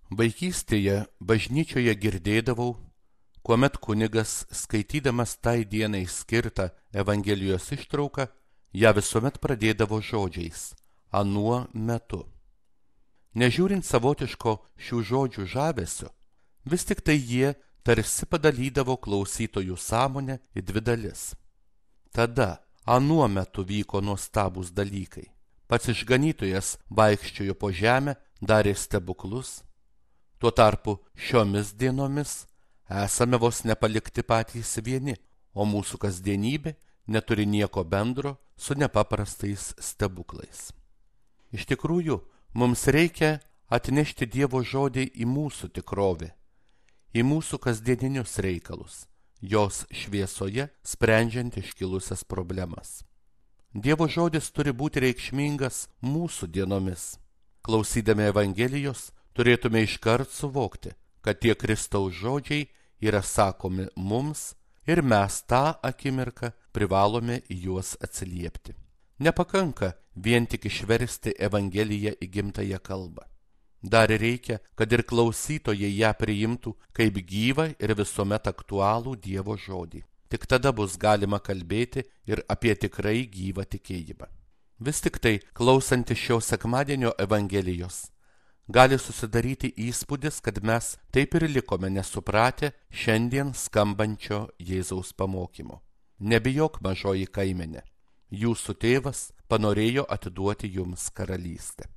Vaikystėje bažnyčioje girdėdavau, kuomet kunigas, skaitydamas tai dienai skirtą Evangelijos ištrauką, ją visuomet pradėdavo žodžiais anuo metu. Nežiūrint savotiško šių žodžių žavesio, vis tik tai jie tarsi padalydavo klausytojų sąmonę į dvi dalis. Tada, anuo metu vyko nuostabūs dalykai. Pats išganytojas vaikščiojo po žemę, darė stebuklus. Tuo tarpu šiomis dienomis esame vos nepalikti patys vieni, o mūsų kasdienybė neturi nieko bendro su nepaprastais stebuklais. Iš tikrųjų, mums reikia atnešti Dievo žodį į mūsų tikrovę, į mūsų kasdieninius reikalus, jos šviesoje sprendžiant iškilusias problemas. Dievo žodis turi būti reikšmingas mūsų dienomis. Klausydami Evangelijos, turėtume iškart suvokti, kad tie Kristaus žodžiai yra sakomi mums ir mes tą akimirką privalome į juos atsiliepti. Nepakanka vien tik išversti Evangeliją į gimtąją kalbą. Dar reikia, kad ir klausytojai ją priimtų kaip gyvą ir visuomet aktualų Dievo žodį. Tik tada bus galima kalbėti ir apie tikrai gyvą tikėjimą. Vis tik tai, klausantis šio sekmadienio Evangelijos, gali susidaryti įspūdis, kad mes taip ir likome nesupratę šiandien skambančio Jėzaus pamokymo. Nebijok, mažoji kaimenė, jūsų tėvas panorėjo atiduoti jums karalystę.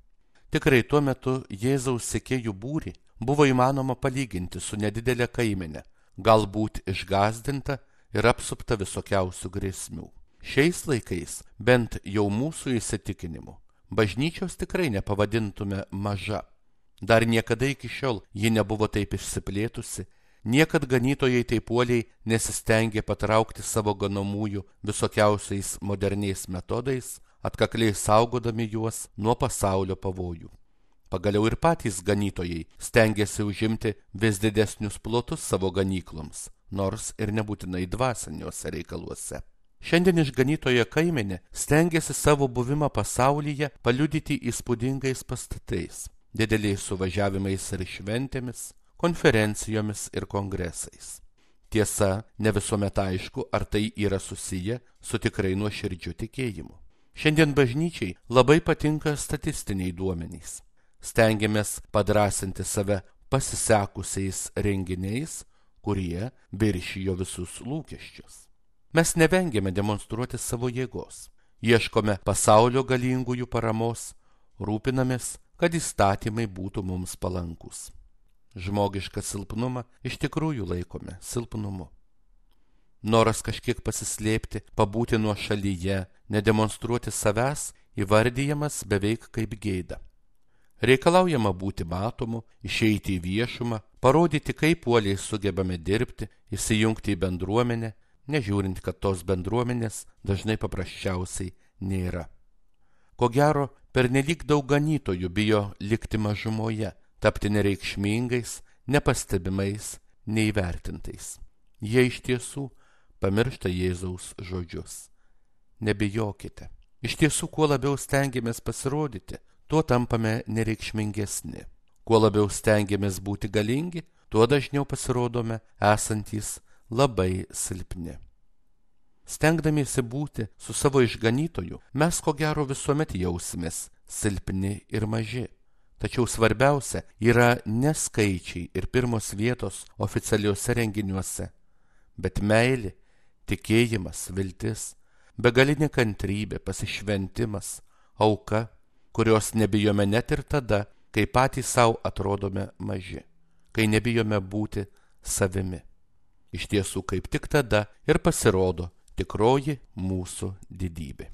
Tikrai tuo metu Jėzaus sekėjų būrį buvo įmanoma palyginti su nedidelė kaimenė, galbūt išgąsdinta ir apsupta visokiausių grėsmių. Šiais laikais, bent jau mūsų įsitikinimu, bažnyčios tikrai nepavadintume maža. Dar niekada iki šiol ji nebuvo taip išsiplėtusi, niekad ganytojai taip uoliai nesistengė patraukti savo ganomųjų visokiausiais moderniais metodais, atkakliai saugodami juos nuo pasaulio pavojų. Pagaliau ir patys ganytojai stengiasi užimti vis didesnius plotus savo ganykloms, nors ir nebūtinai dvasiniuose reikaluose. Šiandien išganytojo kaimenė stengiasi savo buvimą pasaulyje paliudyti įspūdingais pastatais, dideliais suvažiavimais ir šventėmis, konferencijomis ir kongresais. Tiesa, ne visuomet aišku, ar tai yra susiję su tikrai nuoširdžiu tikėjimu. Šiandien bažnyčiai labai patinka statistiniai duomenys. Stengiamės padrąsinti save pasisekusiais renginiais, kurie viršijo visus lūkesčius. Mes nevengiame demonstruoti savo jėgos, ieškome pasaulio galingųjų paramos, rūpinamės, kad įstatymai būtų mums palankus. Žmogišką silpnumą iš tikrųjų laikome silpnumu. Noras kažkiek pasislėpti, pabūti nuošalyje, nedemonstruoti savęs, įvardijamas beveik kaip gėda. Reikalaujama būti matomu, išeiti į viešumą, parodyti, kaip uoliai sugebame dirbti, įsijungti į bendruomenę, nežiūrint, kad tos bendruomenės dažnai paprasčiausiai nėra. Ko gero, pernelyg daug ganytojų bijo likti mažumoje, tapti nereikšmingais, nepastebimais, neįvertintais. Jie iš tiesų pamiršta Jėzaus žodžius. Nebijokite. Iš tiesų, kuo labiau stengiamės pasirodyti, tuo tampame nereikšmingesni. Kuo labiau stengiamės būti galingi, tuo dažniau pasirodome esantys labai silpni. Stengdamiesi būti su savo išganytoju, mes ko gero visuomet jausimės silpni ir maži. Tačiau svarbiausia yra ne skaičiai ir pirmos vietos oficialiuose renginiuose, bet meilė, tikėjimas, viltis, begalinė kantrybė, pasišventimas, auka, kurios nebijome net ir tada, kai patys savo atrodome maži, kai nebijome būti savimi. Iš tiesų, kaip tik tada ir pasirodo tikroji mūsų didybė.